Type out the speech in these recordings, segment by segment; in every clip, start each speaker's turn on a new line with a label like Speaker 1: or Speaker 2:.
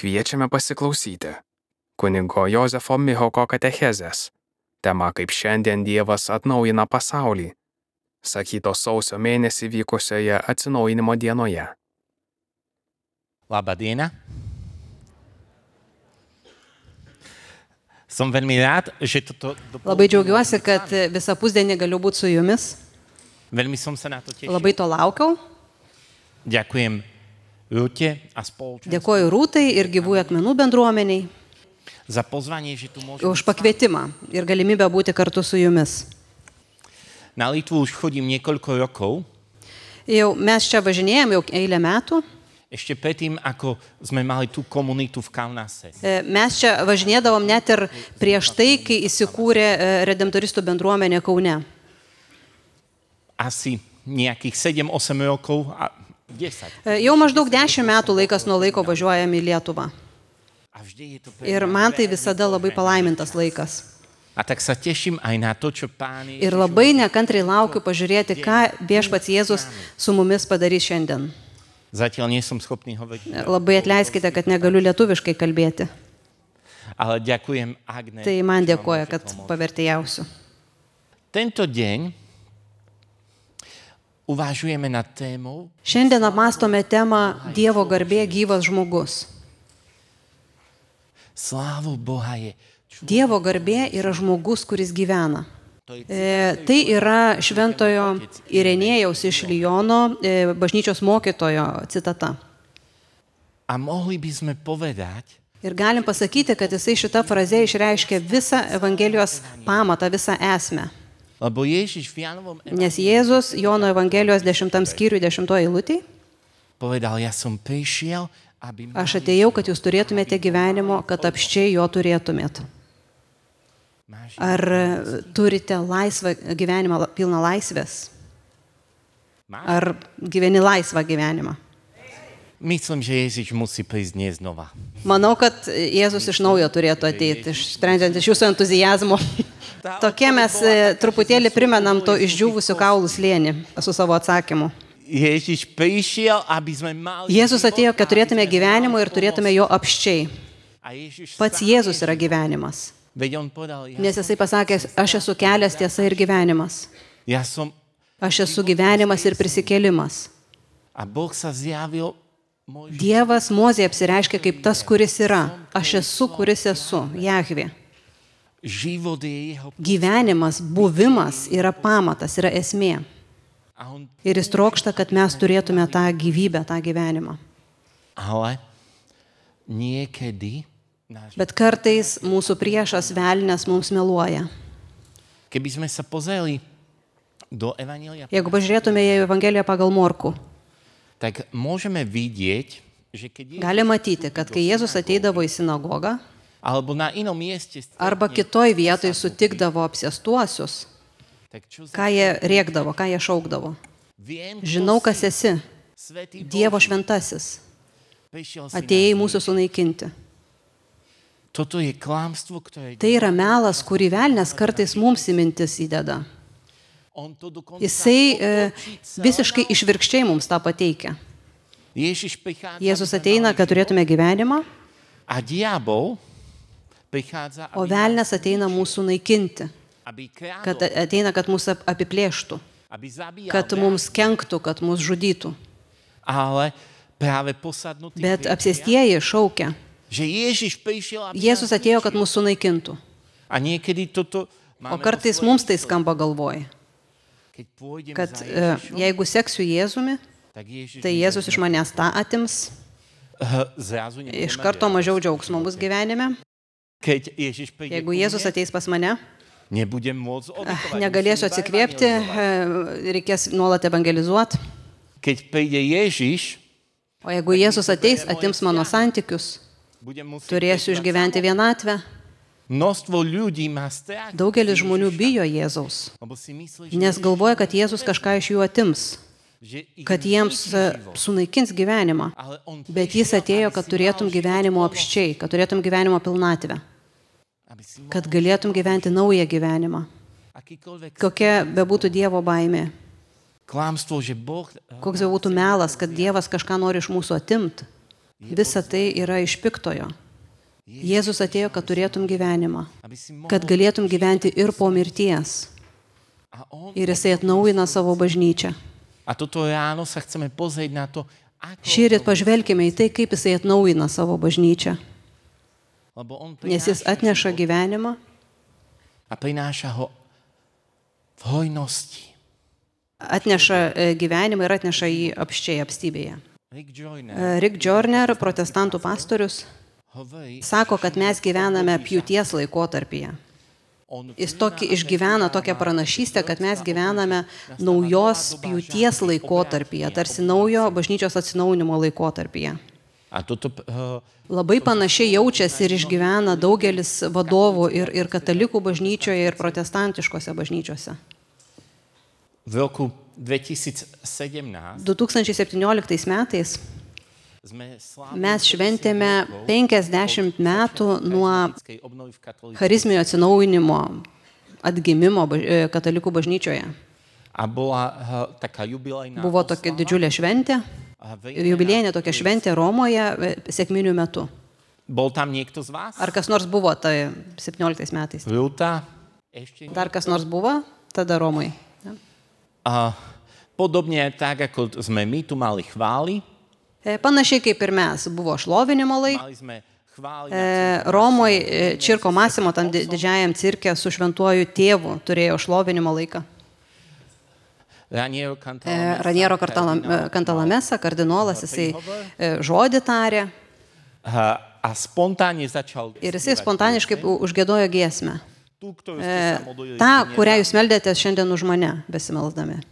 Speaker 1: Kviečiame pasiklausyti kunigo Jozefo Mihoko katechezės. Tema kaip šiandien Dievas atnaujina pasaulį. Sakytos sausio mėnesį vykusioje atsinaujinimo dienoje.
Speaker 2: Labą dieną. Som veľmi rád, že toto
Speaker 3: Labai džiaugiuosi, kad visą pusdienį galiu būti su jumis.
Speaker 2: Veľmi som sa na to tešil.
Speaker 3: Labai to laukiau.
Speaker 2: Ďakujem Rúte a spoločenstvu
Speaker 3: Dėkoju Rūtai ir Gyvųjų akmenų bendruomeniai
Speaker 2: za pozvanie, že tu môžem.
Speaker 3: už pakvietimą ir galimybę būti kartu su jumis.
Speaker 2: Na Litvu už chodím niekoľko rokov.
Speaker 3: Mes čia važinėjom jau eilę metų.
Speaker 2: Ešte predtým, ako sme mali tú komunitu v Kaunase.
Speaker 3: Mes čia važinėdavom net ir prieš tai, kai įsikūrė redemptoristų bendruomenė Kaune.
Speaker 2: Asi nejakých 7-8 rokov a 10.
Speaker 3: Jau maždaug 10 metų laikas nuo laiko važiuojam į Lietuvą.
Speaker 2: A vždy je to pre
Speaker 3: Ir man tai visada labai palaimintas laikas.
Speaker 2: A tak sa teším aj na to, čo Pán
Speaker 3: Ir labai nekantrai laukiu pažiūrėti, ką Viešpats Jėzus su mumis padarys šiandien.
Speaker 2: Zatiaľ nie som schopný hovoriť.
Speaker 3: Labai atleiskite, kad negaliu lietuviškai kalbėti.
Speaker 2: Ale ďakujem Agne.
Speaker 3: Tai man dėkoja, kad pavertėjausiu.
Speaker 2: Tento deň uvažujeme nad témou
Speaker 3: Šiandien apmastome temą Dievo garbė gyvas žmogus.
Speaker 2: Slávu Boha je.
Speaker 3: Dievo garbė yra žmogus, kuris gyvena. Tai yra šventojo Irenėjaus iš Liono bažnyčios mokytojo citata.
Speaker 2: A mohli by sme povedať,
Speaker 3: Ir galim pasakyti, kad jisai šitą frazę išreiškia visą Evangelijos pamatą, visą esmę.
Speaker 2: lebo Ježiš v Jánovom
Speaker 3: Nes Jėzus Jono Evangelijos 10 skyriui 10 eilutėj:
Speaker 2: povedal, ja som prišiel, aby
Speaker 3: Aš atėjau, kad jūs turėtumėte gyvenimo, kad apščiai jo turėtumėt. Ar turite laisvą gyvenimą, pilną laisvės? Ar gyveni laisvą gyvenimą?
Speaker 2: Myslím, že Ježiš musí prísť dnes znova.
Speaker 3: Manau, kad Jėzus iš naujo turėtų ateiti, sprendžiant iš jūsų entuzijazmo. Tokie mes truputėlį primenam to išdžiūvusių kaulų slėnį su savo atsakymu.
Speaker 2: Ježiš prišiel, aby sme mali.
Speaker 3: Jėzus atėjo, kad turėtume gyvenimo ir turėtume jo apščiai.
Speaker 2: A Ježiš
Speaker 3: Pats Jėzus yra gyvenimas.
Speaker 2: veď on povedal,
Speaker 3: Nes jisai pasakė, aš esu kelias, tiesa ir gyvenimas.
Speaker 2: ja som
Speaker 3: Aš esu gyvenimas ir prisikėlimas.
Speaker 2: a Boh sa zjavil
Speaker 3: Dievas Mozei apsireiškia kaip tas, kuris yra. Aš esu, kuris esu. Jahvė.
Speaker 2: život je jeho
Speaker 3: Gyvenimas, buvimas yra pamatas, yra esmė.
Speaker 2: a on,
Speaker 3: Ir jis trokšta, kad mes turėtume tą gyvybę, tą gyvenimą.
Speaker 2: ale niekedy náš.
Speaker 3: Bet kartais mūsų priešas velnias mums meluoja.
Speaker 2: Keby sme sa pozreli do Evanjelia,
Speaker 3: Jeigu pažiūrėtume į Evangeliją pagal Morkų,
Speaker 2: tak môžeme vidieť, že keď je,
Speaker 3: gali matyti, kad kai Jėzus ateidavo į sinagogą
Speaker 2: alebo na inom mieste
Speaker 3: arba kitoj vietoj sutikdavo apsėstuosius,
Speaker 2: tak čo
Speaker 3: ką jie rėkdavo, ką jie šaukdavo.
Speaker 2: viem,
Speaker 3: Žinau, kas esi,
Speaker 2: Svätý
Speaker 3: Dievo
Speaker 2: Bože,
Speaker 3: šventasis,
Speaker 2: prišiel si
Speaker 3: atėjai
Speaker 2: nás.
Speaker 3: mūsų sunaikinti.
Speaker 2: Toto je klamstvo, ktoré
Speaker 3: Tai yra melas, kurį velnias kartais mums į mintis įdeda.
Speaker 2: on to dokonca
Speaker 3: Jisai
Speaker 2: otočí celé.
Speaker 3: visiškai išvirkščiai mums tą pateikia.
Speaker 2: Ježiš prichádza,
Speaker 3: Jėzus ateina, kad turėtume gyvenimą,
Speaker 2: a diabol prichádza,
Speaker 3: o velnias ateina mūsų naikinti,
Speaker 2: aby krádol,
Speaker 3: kad ateina, kad mūsų apiplėštų,
Speaker 2: aby zabíjal,
Speaker 3: kad mums kenktų, kad mus žudytų.
Speaker 2: ale práve posadnutý
Speaker 3: Bet
Speaker 2: priatelia,
Speaker 3: apsėstieji šaukia.
Speaker 2: že Ježiš prišiel, aby
Speaker 3: Jėzus
Speaker 2: nás
Speaker 3: atėjo, kad
Speaker 2: zničil.
Speaker 3: mūsų naikintų.
Speaker 2: A niekedy toto
Speaker 3: O kartais mums tai skamba galvoj,
Speaker 2: keď pôjdem
Speaker 3: kad
Speaker 2: za Ježišom,
Speaker 3: jeigu seksiu Jėzumi,
Speaker 2: tak Ježiš
Speaker 3: tai Jėzus iš manęs tą atims,
Speaker 2: zrazu nebudeme
Speaker 3: iš karto
Speaker 2: žiadať.
Speaker 3: mažiau džiaugsmo bus gyvenime.
Speaker 2: Keď Ježiš príde
Speaker 3: Jeigu
Speaker 2: ku
Speaker 3: Jėzus
Speaker 2: mne,
Speaker 3: ateis pas mane,
Speaker 2: nebudem môcť obetovať.
Speaker 3: negalėsiu
Speaker 2: musím iba
Speaker 3: atsikvėpti,
Speaker 2: evangelizovať.
Speaker 3: reikės nuolat evangelizuoti.
Speaker 2: Keď príde Ježiš,
Speaker 3: O jeigu Jėzus ateis, atims mano santykius,
Speaker 2: budem musieť
Speaker 3: turėsiu
Speaker 2: prekonať
Speaker 3: išgyventi vienatvę.
Speaker 2: Množstvo ľudí má strach,
Speaker 3: Daugelis žmonių bijo Jėzaus,
Speaker 2: lebo si myslí, že,
Speaker 3: nes galvoja, kad Jėzus kažką iš jų atims,
Speaker 2: že ich
Speaker 3: kad jiems
Speaker 2: zničí život.
Speaker 3: sunaikins gyvenimą.
Speaker 2: Ale on
Speaker 3: Bet jis
Speaker 2: prišiel,
Speaker 3: atėjo,
Speaker 2: aby
Speaker 3: kad
Speaker 2: si
Speaker 3: turėtum
Speaker 2: mal
Speaker 3: gyvenimo
Speaker 2: život
Speaker 3: apščiai, kad turėtum gyvenimo pilnatvę,
Speaker 2: aby si mal
Speaker 3: kad galėtum gyventi naują gyvenimą.
Speaker 2: akýkoľvek
Speaker 3: Kokia bebūtų Dievo baimė,
Speaker 2: klamstvo, že Boh
Speaker 3: koks bebūtų melas, kad Dievas kažką nori iš mūsų atimti, Visa tai yra iš piktojo. Jėzus atėjo, kad turėtum gyvenimą, kad galėtum gyventi ir po mirties. Ir jisai atnaujina savo bažnyčią.
Speaker 2: A toto ráno sa chceme pozrieť na to,
Speaker 3: Šįryt pažvelkime į tai, kaip jisai atnaujina savo bažnyčią.
Speaker 2: lebo on
Speaker 3: Nes jis atneša gyvenimą
Speaker 2: a prináša ho v hojnosti.
Speaker 3: atneša gyvenimą ir atneša jį apščiai apstybėje.
Speaker 2: Rick Joyner
Speaker 3: Rick Joyner, protestantų pastorius,
Speaker 2: hovorí,
Speaker 3: sako, kad mes gyvename pjūties laikotarpyje. Jis išgyvena tokią pranašystę, kad mes gyvename naujos pjūties laikotarpyje, tarsi naujo bažnyčios atsinaujinimo laikotarpyje.
Speaker 2: a toto
Speaker 3: Labai panašiai jaučiasi ir išgyvena daugelis vadovų ir katalikų bažnyčioje, ir protestantiškose bažnyčiose.
Speaker 2: v roku 2017
Speaker 3: 2017 metais
Speaker 2: sme slávili
Speaker 3: mes šventėme 50 metų nuo
Speaker 2: katolíckej obnovy v katolíckej.
Speaker 3: charizminio atsinaujinimo, atgimimo katalikų bažnyčioje.
Speaker 2: A bola taká jubilejná
Speaker 3: Buvo tokia didžiulė šventė, jubiliejinė tokia šventė Romoje sekminių metu.
Speaker 2: Bol tam niekto z vás?
Speaker 3: Ar kas nors buvo tai 17 metais?
Speaker 2: Rúta? Ešte
Speaker 3: Dar kas nors buvo tada Romoj?
Speaker 2: A podobne tak, ako sme my tu mali chvály,
Speaker 3: Panašiai kaip ir mes, buvo šlovinimo laikas.
Speaker 2: mali sme chvály
Speaker 3: Romoj Čirko Masimo tam didžiajam cirke su šventuoju tėvu turėjo šlovinimo laiką. Raniero Cantalamessa, kardinolas, jisai žodį tarė
Speaker 2: a spontánne začal
Speaker 3: ir jisai spontaniškai užgiedojo giesmę.
Speaker 2: tú, ktorú ste sa modlili.
Speaker 3: Ta, kurią jūs meldėtės šiandien už mane, besimelsdami.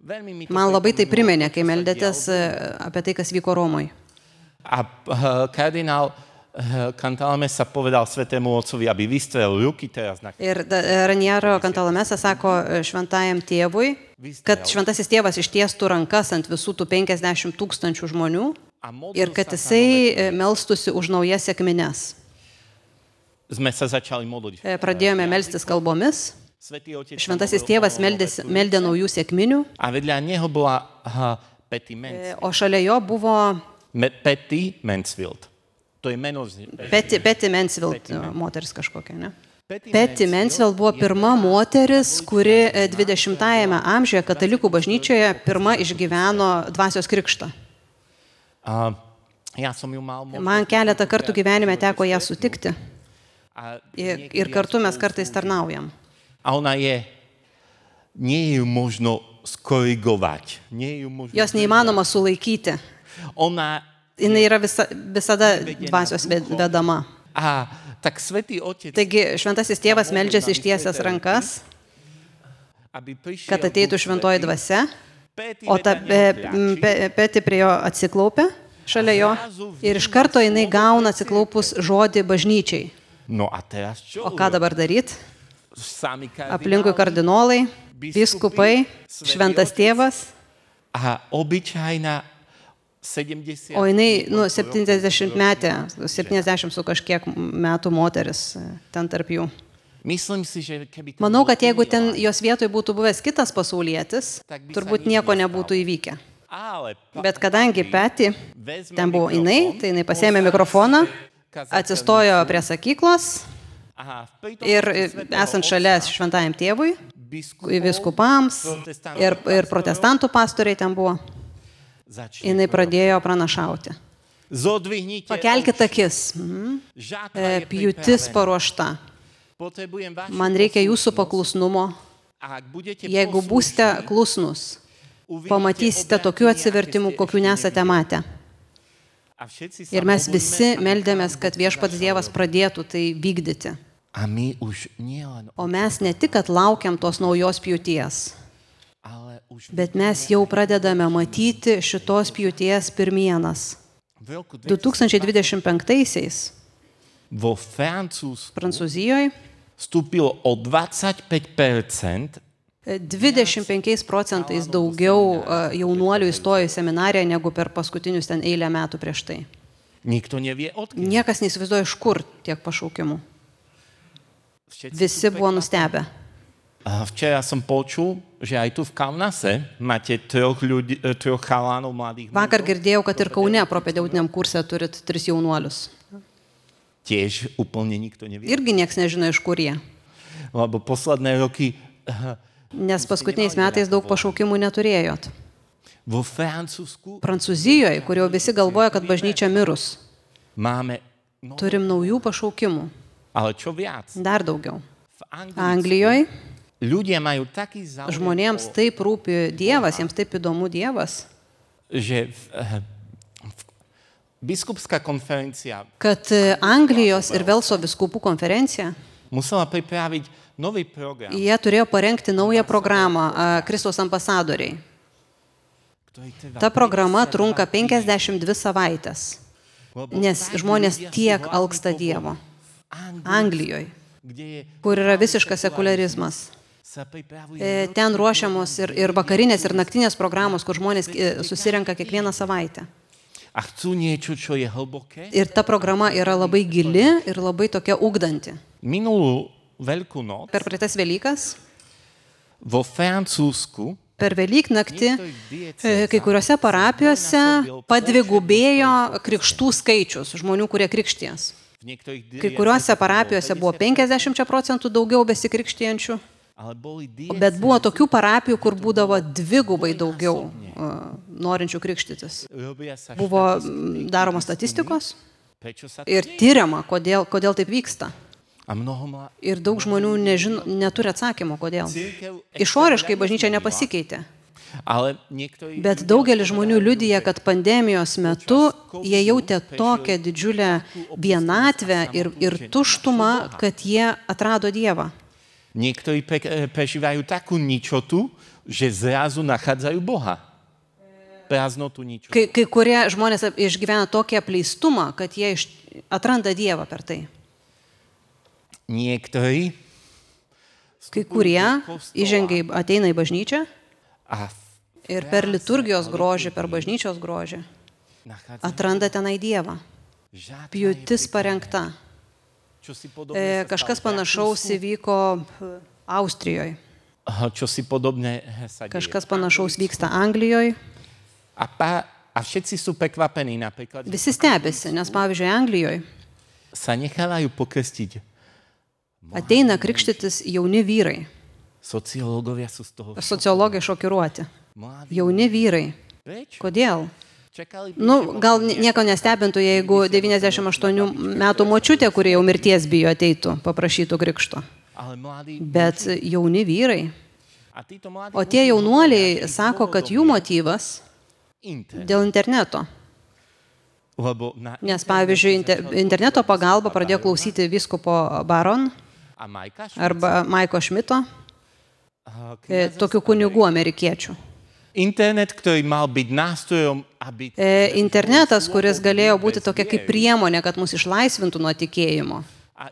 Speaker 2: Veľmi mi to
Speaker 3: Man labai tai
Speaker 2: pripomenulo,
Speaker 3: priminė, kai
Speaker 2: čo sa
Speaker 3: meldėtės
Speaker 2: dialo.
Speaker 3: apie tai, kas vyko Romoj.
Speaker 2: A kardinál Cantalamessa povedal svätému otcovi, aby vystrel ruky teraz na
Speaker 3: Ir Raniero Cantalamessa sako šventajam tėvui, kad šventasis tėvas ištiestų rankas ant visų tų 50 000 žmonių
Speaker 2: a modlil
Speaker 3: ir kad
Speaker 2: sa za
Speaker 3: jisai melstusi už naujas sekmines.
Speaker 2: Sme sa začali modliť.
Speaker 3: Pradėjome melstis kalbomis.
Speaker 2: Svätý otec
Speaker 3: Šventasis
Speaker 2: sa
Speaker 3: tėvas
Speaker 2: modlil
Speaker 3: meldė naujų sekminių,
Speaker 2: a vedľa neho bola Patty Mansfield.
Speaker 3: o šalia jo buvo
Speaker 2: Patty Mansfield. To je meno
Speaker 3: Patty Mansfield, moteris kažkokia, ne? Patty Mansfield buvo pirma moteris, kuri 20-ajame amžiuje katalikų bažnyčioje pirma išgyveno dvasios krikštą.
Speaker 2: A ja som ju mal
Speaker 3: Man keletą kartų gyvenime teko ją sutikti
Speaker 2: a
Speaker 3: ir kartu mes kartais tarnaujam.
Speaker 2: A ona nie je ju možno skorigovať. Nie je ju možno...
Speaker 3: Jos neįmanoma sulaikyti.
Speaker 2: Ona...
Speaker 3: Jis yra visada dvasios vedama.
Speaker 2: A tak svätý otec,
Speaker 3: Taigi šventasis tėvas meldžiasi ištiesęs rankas,
Speaker 2: aby prišiel
Speaker 3: kad ateitų
Speaker 2: Duch
Speaker 3: šventoji
Speaker 2: Svätý,
Speaker 3: dvasia,
Speaker 2: Patty
Speaker 3: o ta
Speaker 2: vedľa neho kľačí.
Speaker 3: Peti prie jo atsiklaupia šalia jo ir iš karto jinai gauna atsiklaupus žodį bažnyčiai.
Speaker 2: No a teraz čo?
Speaker 3: O ką dabar daryti?
Speaker 2: Sami
Speaker 3: Aplinkui kardinolai, biskupai, šventas tėvas,
Speaker 2: a obyčajná 70...
Speaker 3: o jinai 70 metė, 70 su kažkiek metų moteris ten tarp jų.
Speaker 2: Myslím si, že keby to
Speaker 3: Manau,
Speaker 2: bolo
Speaker 3: kad jeigu ten
Speaker 2: umilá,
Speaker 3: jos vietoj būtų buvęs kitas pasaulietis, turbūt nieko nebūtų įvykę.
Speaker 2: ale
Speaker 3: Bet kadangi Peti
Speaker 2: vezme
Speaker 3: ten buvo
Speaker 2: mikrofón,
Speaker 3: jinai, tai jinai pasėmė mikrofoną, atsistojo prie sakyklos
Speaker 2: aha, v prítomnosti
Speaker 3: ir
Speaker 2: svätého
Speaker 3: esant
Speaker 2: otca,
Speaker 3: šalia šventajam tėvui,
Speaker 2: biskupov,
Speaker 3: viskupams ir protestantų pastoriai ten buvo,
Speaker 2: začne
Speaker 3: jinai pradėjo pranašauti.
Speaker 2: Zodvihnite
Speaker 3: Pakelkite
Speaker 2: oči.
Speaker 3: akis.
Speaker 2: Žatva je
Speaker 3: Pjūtis
Speaker 2: pripravená.
Speaker 3: paruošta.
Speaker 2: Potrebujem vašu
Speaker 3: Man reikia jūsų
Speaker 2: poslušnosť.
Speaker 3: paklusnumo.
Speaker 2: A ak budete
Speaker 3: Jeigu būsite
Speaker 2: poslušní,
Speaker 3: klusnus,
Speaker 2: uvidíte
Speaker 3: pamatysite
Speaker 2: obrátenie,
Speaker 3: tokių
Speaker 2: aké
Speaker 3: atsivertimų,
Speaker 2: ste
Speaker 3: kokių
Speaker 2: ešte
Speaker 3: nesate
Speaker 2: nevideli.
Speaker 3: matę.
Speaker 2: A všetci sa
Speaker 3: Ir mes
Speaker 2: modlíme,
Speaker 3: visi
Speaker 2: aby
Speaker 3: meldėmės,
Speaker 2: Pán
Speaker 3: kad
Speaker 2: Boh
Speaker 3: viešpats
Speaker 2: začal
Speaker 3: Dievas
Speaker 2: robiť.
Speaker 3: pradėtų tai vykdyti.
Speaker 2: A my už nielen,
Speaker 3: O mes ne tik, kad laukiam tos naujos pjūties,
Speaker 2: ale už
Speaker 3: bet mes jau pradedame matyti šitos pjūties pirmienas.
Speaker 2: v roku
Speaker 3: 2025-aisiais
Speaker 2: vo Francúzsku
Speaker 3: Prancūzijoje
Speaker 2: vstúpilo o 25%
Speaker 3: 25% daugiau jaunuolių įstojo į seminariją negu per paskutinius ten eilę metų prieš tai.
Speaker 2: Nikto nevie odkiaľ.
Speaker 3: Niekas neįsivaizduoja, iš kur tiek pašaukimų.
Speaker 2: Všetci
Speaker 3: Visi
Speaker 2: sú
Speaker 3: buvo
Speaker 2: prekvapení.
Speaker 3: nustebę.
Speaker 2: Včera som počul, že aj tu v Kaunase máte troch chalánov mladých
Speaker 3: Vakar
Speaker 2: mužov.
Speaker 3: girdėjau, kad ir Kaune propedeutiniam kurse turit 3 jaunuolius.
Speaker 2: Tiež úplne nikto nevie.
Speaker 3: Irgi nieks nežino, iš kur jie.
Speaker 2: Lebo posledné roky
Speaker 3: Nes paskutiniais metais daug pašaukimų neturėjot.
Speaker 2: vo Francúzsku
Speaker 3: Prancūzijoje, kur jau visi galvoja, kad bažnyčia mirus,
Speaker 2: máme,
Speaker 3: turim naujų pašaukimų.
Speaker 2: ale čo viac,
Speaker 3: Dar daugiau.
Speaker 2: v Anglicku
Speaker 3: Anglijoje
Speaker 2: ľudia majú taký záujem,
Speaker 3: žmonėms taip rūpi Dievas, jiems taip įdomu Dievas,
Speaker 2: že biskupská konferencia
Speaker 3: kad Anglijos ir Velso vyskupų konferencija,
Speaker 2: musela pripraviť nový program,
Speaker 3: jie turėjo parengti naują programą Kristaus ambasadoriai.
Speaker 2: ktorý trvá
Speaker 3: Ta programa trunka 52 savaitės, nes žmonės tiek alksta Dievo. Anglijoje,
Speaker 2: kde je,
Speaker 3: kur yra visiškas sekularizmas.
Speaker 2: sa pripravuje
Speaker 3: Ten ruošiamos ir vakarinės, ir naktinės programos, kur žmonės susirenka kiekvieną savaitę.
Speaker 2: a chcú niečo, čo je hlboké.
Speaker 3: Ir ta programa yra labai gili ir labai tokia ugdanti.
Speaker 2: Minulú Veľkú noc
Speaker 3: Per praeitas Velykas,
Speaker 2: vo Francúzsku
Speaker 3: per Velyknaktį, kai kuriuose parapijose padvigubėjo krikštų skaičius žmonių, kurie krikšties.
Speaker 2: v niektorých
Speaker 3: Kai kuriuose parapijose buvo 50% daugiau besikrikštijančių,
Speaker 2: ale boli
Speaker 3: bet buvo tokių parapijų, kur būdavo dvigubai daugiau norinčių krikštytis.
Speaker 2: robia sa
Speaker 3: Buvo daroma statistikos
Speaker 2: prečo sa
Speaker 3: ir tyriama, kodėl taip vyksta.
Speaker 2: a mnoho
Speaker 3: Ir daug žmonių neturi atsakymo, kodėl.
Speaker 2: církev
Speaker 3: Išoriškai bažnyčia nepasikeitė,
Speaker 2: ale niektorí
Speaker 3: bet daugelis žmonių liudija, kad pandemijos metu jie jautė tokią didžiulę vienatvę ir tuštumą, kad jie atrado Dievą.
Speaker 2: niektorí prežívajú takú ničotu, že zrazu nachádzajú Boha. Prázdnotu ničotu.
Speaker 3: Kai kurie žmonės išgyvena tokį apleistumą, kad jie atranda Dievą per tai.
Speaker 2: Niektorí
Speaker 3: Kai kurie ateina į bažnyčią
Speaker 2: a
Speaker 3: ir per liturgijos grožį, per bažnyčios grožį
Speaker 2: nachádzajú
Speaker 3: atranda tenai Dievą.
Speaker 2: žádná
Speaker 3: Pjūtis parengta.
Speaker 2: čo si podobné sa
Speaker 3: Kažkas
Speaker 2: stalo v
Speaker 3: panašaus
Speaker 2: Rakúsku,
Speaker 3: įvyko Austrijoje.
Speaker 2: čo si podobné sa deje.
Speaker 3: Kažkas panašaus vyksta Anglijoje.
Speaker 2: A všetci sú prekvapení, napríklad, že
Speaker 3: Visi stebisi, nes pavyzdžiui Anglijoje
Speaker 2: sa nechávajú pokrstiť.
Speaker 3: ateina krikštytis jauni vyrai.
Speaker 2: Sociológovia sú z toho
Speaker 3: Sociologai šokiruoti.
Speaker 2: mladí.
Speaker 3: Jauni vyrai.
Speaker 2: Prečo?
Speaker 3: Kodėl?
Speaker 2: Čakali
Speaker 3: Gal nieko nestebintų, jeigu 98 metų močiutė, kurie jau mirties bijo, ateitų, paprašytų krikšto.
Speaker 2: ale mladí.
Speaker 3: Bet jauni vyrai.
Speaker 2: A títo mladí
Speaker 3: O tie jaunuoliai sako, kad jų motyvas
Speaker 2: internet.
Speaker 3: dėl interneto.
Speaker 2: Lebo
Speaker 3: Nes pavyzdžiui, interneto pagalba pradėjo klausyti vyskupo Baron
Speaker 2: a Majka
Speaker 3: arba Maiko Šmito, tokių kunigų amerikiečių.
Speaker 2: internet, ktorý mal byť nástrojom, aby
Speaker 3: Internetas, kuris galėjo būti tokia kaip priemonė, kad mus išlaisvintų nuo tikėjimo.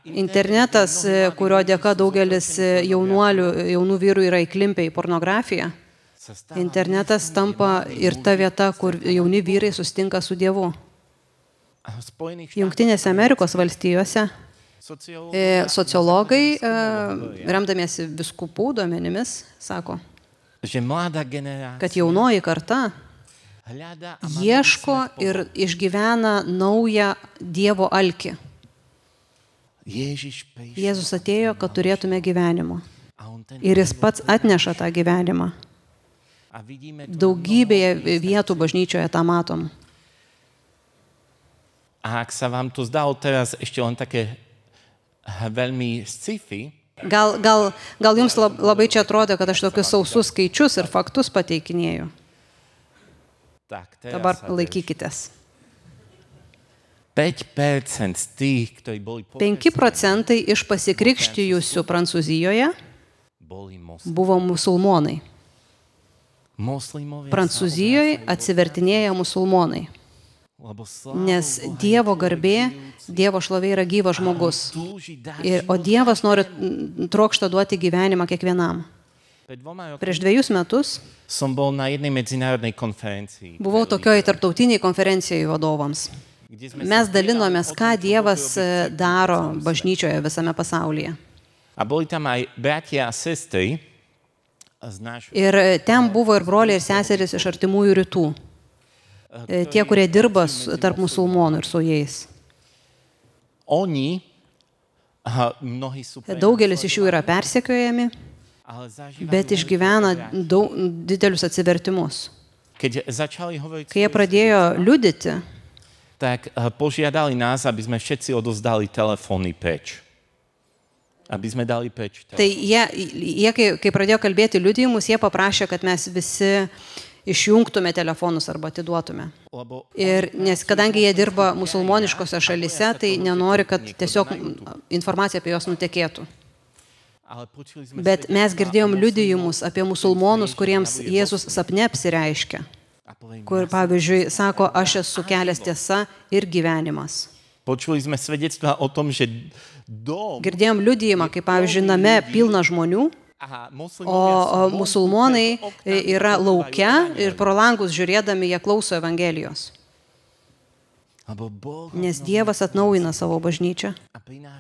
Speaker 3: Internetas, kurio dėka daugelis jaunų vyrų yra įklimpę į pornografiją.
Speaker 2: sa stáva
Speaker 3: Internetas tampa ir ta vieta, kur jauni vyrai sustinka su Dievu.
Speaker 2: v Spojených
Speaker 3: Jungtinėse Amerikos valstijose sociologai,
Speaker 2: sociológovia,
Speaker 3: remdamiesi vyskupų duomenimis, sako,
Speaker 2: že mladá generácia
Speaker 3: kad jaunoji karta
Speaker 2: hľadá a má
Speaker 3: ieško ir išgyvena naują Dievo alkį.
Speaker 2: Ježiš prišiel
Speaker 3: Jėzus atėjo, kad turėtume gyvenimo.
Speaker 2: a on ten
Speaker 3: Ir jis pats atneša tą gyvenimą.
Speaker 2: a vidíme to.
Speaker 3: Daugybėje vietų bažnyčioje tą matom.
Speaker 2: A ak sa vám to zdalo teraz ešte len také veľmi sci-fi,
Speaker 3: Gal jums labai čia atrodo, kad aš tokius sausus skaičius ir faktus pateikinėju.
Speaker 2: tak teraz
Speaker 3: Dabar
Speaker 2: sa
Speaker 3: laikykitės.
Speaker 2: 5% z tých, ktorí boli
Speaker 3: 5% iš pasikrikštijusių Prancūzijoje
Speaker 2: boli
Speaker 3: buvo musulmonai.
Speaker 2: moslimovia.
Speaker 3: Prancūzijoje atsivertinėja musulmonai.
Speaker 2: Lebo sláva
Speaker 3: Nes
Speaker 2: Boha
Speaker 3: Dievo garbė, Dievo šlovė yra gyvas žmogus.
Speaker 2: túži dať
Speaker 3: O Dievas nori trokšta duoti gyvenimą kiekvienam.
Speaker 2: Pred 2 rokmi
Speaker 3: Prieš 2 metus
Speaker 2: som bol na jednej medzinárodnej konferencii,
Speaker 3: buvau tokioje tarptautiniai konferencijoje vadovams.
Speaker 2: kde sme
Speaker 3: Mes
Speaker 2: sa
Speaker 3: dalinomės, ką Dievas daro bažnyčioje visame pasaulyje.
Speaker 2: a A boli tam aj bratia a sestry z nášho...
Speaker 3: Ir ten buvo ir broliai, ir seserys iš artimųjų rytų. Tie, kurie dirba tarp musulmonų ir su jais.
Speaker 2: Oni, mnohí sú...
Speaker 3: Daugelis iš jų yra persekiojami, bet išgyvena didelius atsivertimus.
Speaker 2: Keď začali hovoriť...
Speaker 3: Kai jie pradėjo liudyti,
Speaker 2: tak požiadali nás, aby sme všetci odozdali telefóny preč. Aby sme dali preč telefóny.
Speaker 3: tai jie kai pradėjo kalbėti liudijimus, jie paprašė, kad mes visi išjungtume telefonus arba atiduotume. Ir nes kadangi jie dirba musulmoniškose šalise, tai nenori, kad tiesiog informacija apie juos nutekėtų. Bet mes girdėjom liudijimus apie musulmonus, kuriems Jėzus sapne apsireiškia. Kur, pavyzdžiui, sako, aš esu kelias, tiesa ir gyvenimas.
Speaker 2: Počuli sme svedectvá o tom, že
Speaker 3: Girdėjom liudijimą, kaip, pavyzdžiui, name pilna žmonių, o musulmonai yra laukia ir pro langus žiūrėdami jie klauso Evangelijos. Nes Dievas atnaujina savo bažnyčią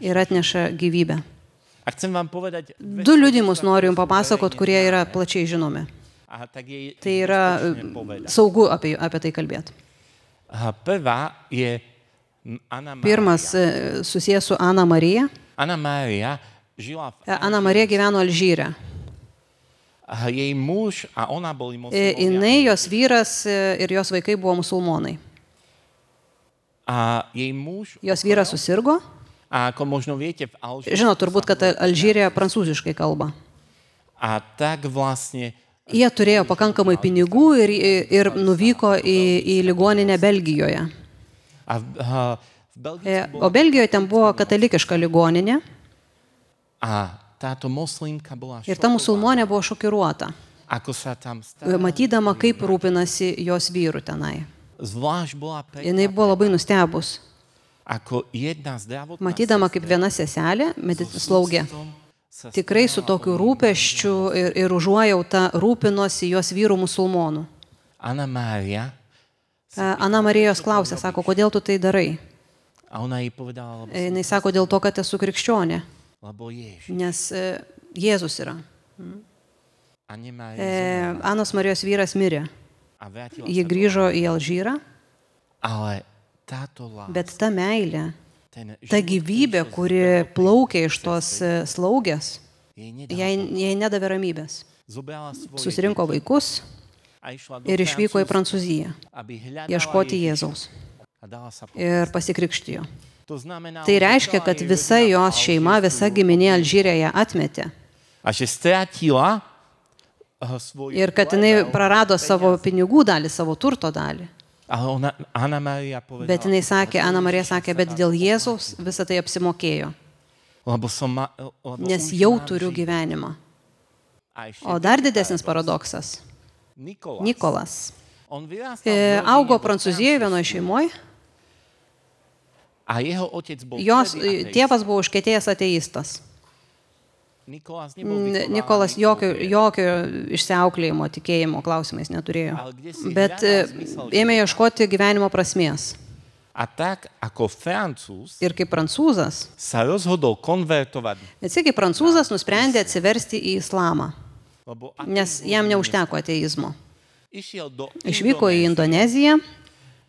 Speaker 3: ir atneša gyvybę.
Speaker 2: A chcem vám povedať...
Speaker 3: 2 liudijimus noriu jums papasakot, kurie yra plačiai žinomi. Tai yra saugu apie tai kalbėti.
Speaker 2: Prvá je Anna Maria.
Speaker 3: Pirmas susijęs su Ana Marija.
Speaker 2: Anna Maria žila v...
Speaker 3: Ana Marija gyveno Alžyre.
Speaker 2: Jej muž a ona boli muslimovia.
Speaker 3: Jinai, jos vyras ir jos vaikai buvo musulmonai.
Speaker 2: A jej muž...
Speaker 3: Jos vyras susirgo.
Speaker 2: A ako možno viete, v Alžíre...
Speaker 3: Žinot, turbūt, kad Alžyrė prancūziškai kalba.
Speaker 2: A tak vlastne...
Speaker 3: Jie turėjo pakankamai pinigų ir nuvyko į ligoninę Belgijoje. O Belgijoje ten buvo katalikiška ligoninė.
Speaker 2: A táto moslimka bola
Speaker 3: ir ta musulmonė buvo šokiruota,
Speaker 2: ako sa tam stalo.
Speaker 3: matydama, kaip rūpinasi jos vyru tenai.
Speaker 2: Zvlášť bola
Speaker 3: Jinai buvo labai nustebus,
Speaker 2: ako jedna zdravotná
Speaker 3: matydama, kaip viena seselė, slaugė, tikrai su tokiu rūpesčiu ir užuojauta rūpinosi jos vyrų musulmonų.
Speaker 2: Anna Maria.
Speaker 3: Ana Marijos klausė, sako, kodėl tu tai darai?
Speaker 2: A ona jej povedala,
Speaker 3: Jinai sako, dėl to, kad esu krikščionė,
Speaker 2: lebo Ježiš.
Speaker 3: nes Jėzus yra.
Speaker 2: A nemá
Speaker 3: Anos Marijos vyras mirė.
Speaker 2: a vrátila
Speaker 3: Ji
Speaker 2: sa
Speaker 3: grįžo į Alžyrą,
Speaker 2: ale táto láska,
Speaker 3: bet ta meilė,
Speaker 2: ten
Speaker 3: ta gyvybė, kuri plaukė iš tos slaugės,
Speaker 2: jej nedala.
Speaker 3: jai nedavė ramybės.
Speaker 2: Zobrala svoje
Speaker 3: Susirinko vaikus
Speaker 2: a išla do
Speaker 3: ir išvyko į
Speaker 2: Francúzska,
Speaker 3: Prancūziją
Speaker 2: aby hľadala
Speaker 3: ieškoti
Speaker 2: Ježiša
Speaker 3: Jėzaus
Speaker 2: a dala sa
Speaker 3: ir pasikrikštijo.
Speaker 2: To znamená,
Speaker 3: Tai
Speaker 2: že
Speaker 3: reiškia,
Speaker 2: celá
Speaker 3: kad
Speaker 2: jej
Speaker 3: visa
Speaker 2: rodina
Speaker 3: jos šeima, visa giminė Alžyrėje atmetė
Speaker 2: a že strátila svoju
Speaker 3: ir kad jinai prarado savo pinigų dalį, savo turto dalį.
Speaker 2: Ale Anna Maria povedala,
Speaker 3: Bet jinai sakė, Ana Marija sakė, bet dėl Jėzaus visą tai apsimokėjo,
Speaker 2: lebo
Speaker 3: nes jau turiu gyvenimą.
Speaker 2: A ešte
Speaker 3: O dar didesnis paradoksas. Nikolas
Speaker 2: On vyrastal
Speaker 3: augo Prancūzijoje vienoje šeimoje.
Speaker 2: a jeho otec bol
Speaker 3: Jos
Speaker 2: vtedy ateist.
Speaker 3: tėvas buvo užkietėjęs ateistas.
Speaker 2: Nikolas nebol vychovaný
Speaker 3: Nikolas jokio išsiauklėjimo, tikėjimo klausimais neturėjo. Bet ėmė ieškoti gyvenimo prasmės.
Speaker 2: A tak ako Francúz
Speaker 3: Ir kaip prancūzas,
Speaker 2: sa rozhodol konvertovať,
Speaker 3: bet kaip prancūzas nusprendė atsiversti į islamą,
Speaker 2: lebo
Speaker 3: nes jam neužteko ateizmo.
Speaker 2: išiel do
Speaker 3: Išvyko į Indoneziją,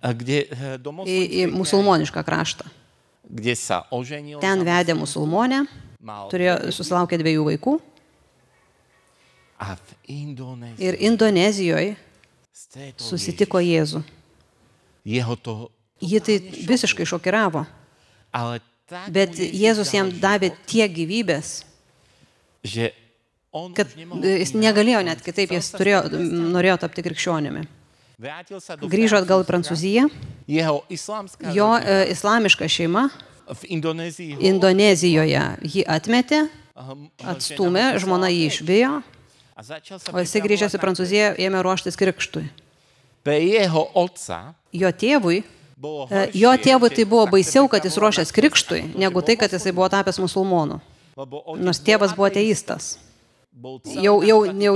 Speaker 2: kde, do
Speaker 3: į musulmonišką kraštą.
Speaker 2: kde sa oženil,
Speaker 3: Ten vedė musulmonę,
Speaker 2: mal
Speaker 3: susilaukė 2 vaikų.
Speaker 2: a v Indonézii
Speaker 3: Ir Indonezijoje
Speaker 2: stretol
Speaker 3: susitiko Jėzų.
Speaker 2: jeho to,
Speaker 3: Ji tai visiškai šokiravo.
Speaker 2: ale tak
Speaker 3: Bet
Speaker 2: mu Ježiš
Speaker 3: Jėzus
Speaker 2: dal
Speaker 3: jam davė tiek gyvybės,
Speaker 2: že on
Speaker 3: kad
Speaker 2: už nemohol
Speaker 3: jis negalėjo net kitaip, jis norėjo tapti krikščionimi.
Speaker 2: vrátil sa do
Speaker 3: Grįžo atgal į
Speaker 2: Francúzska.
Speaker 3: Prancūziją,
Speaker 2: Jeho islamská
Speaker 3: jo
Speaker 2: rodina
Speaker 3: islamiška šeima
Speaker 2: v Indonézii
Speaker 3: Indonezijoje jį atmetė, atstumė, žmona jį išvijo,
Speaker 2: a začal sa
Speaker 3: o jisai grįžęs į Prancūziją ėmė ruoštis krikštui.
Speaker 2: Pre jeho otca
Speaker 3: Jo tėvui
Speaker 2: bolo
Speaker 3: tai buvo baisiau, kad jis ruošęs krikštui, negu tai, kad jisai buvo tapęs musulmonų.
Speaker 2: lebo
Speaker 3: Nors tėvas buvo ateistas.
Speaker 2: bol
Speaker 3: Jau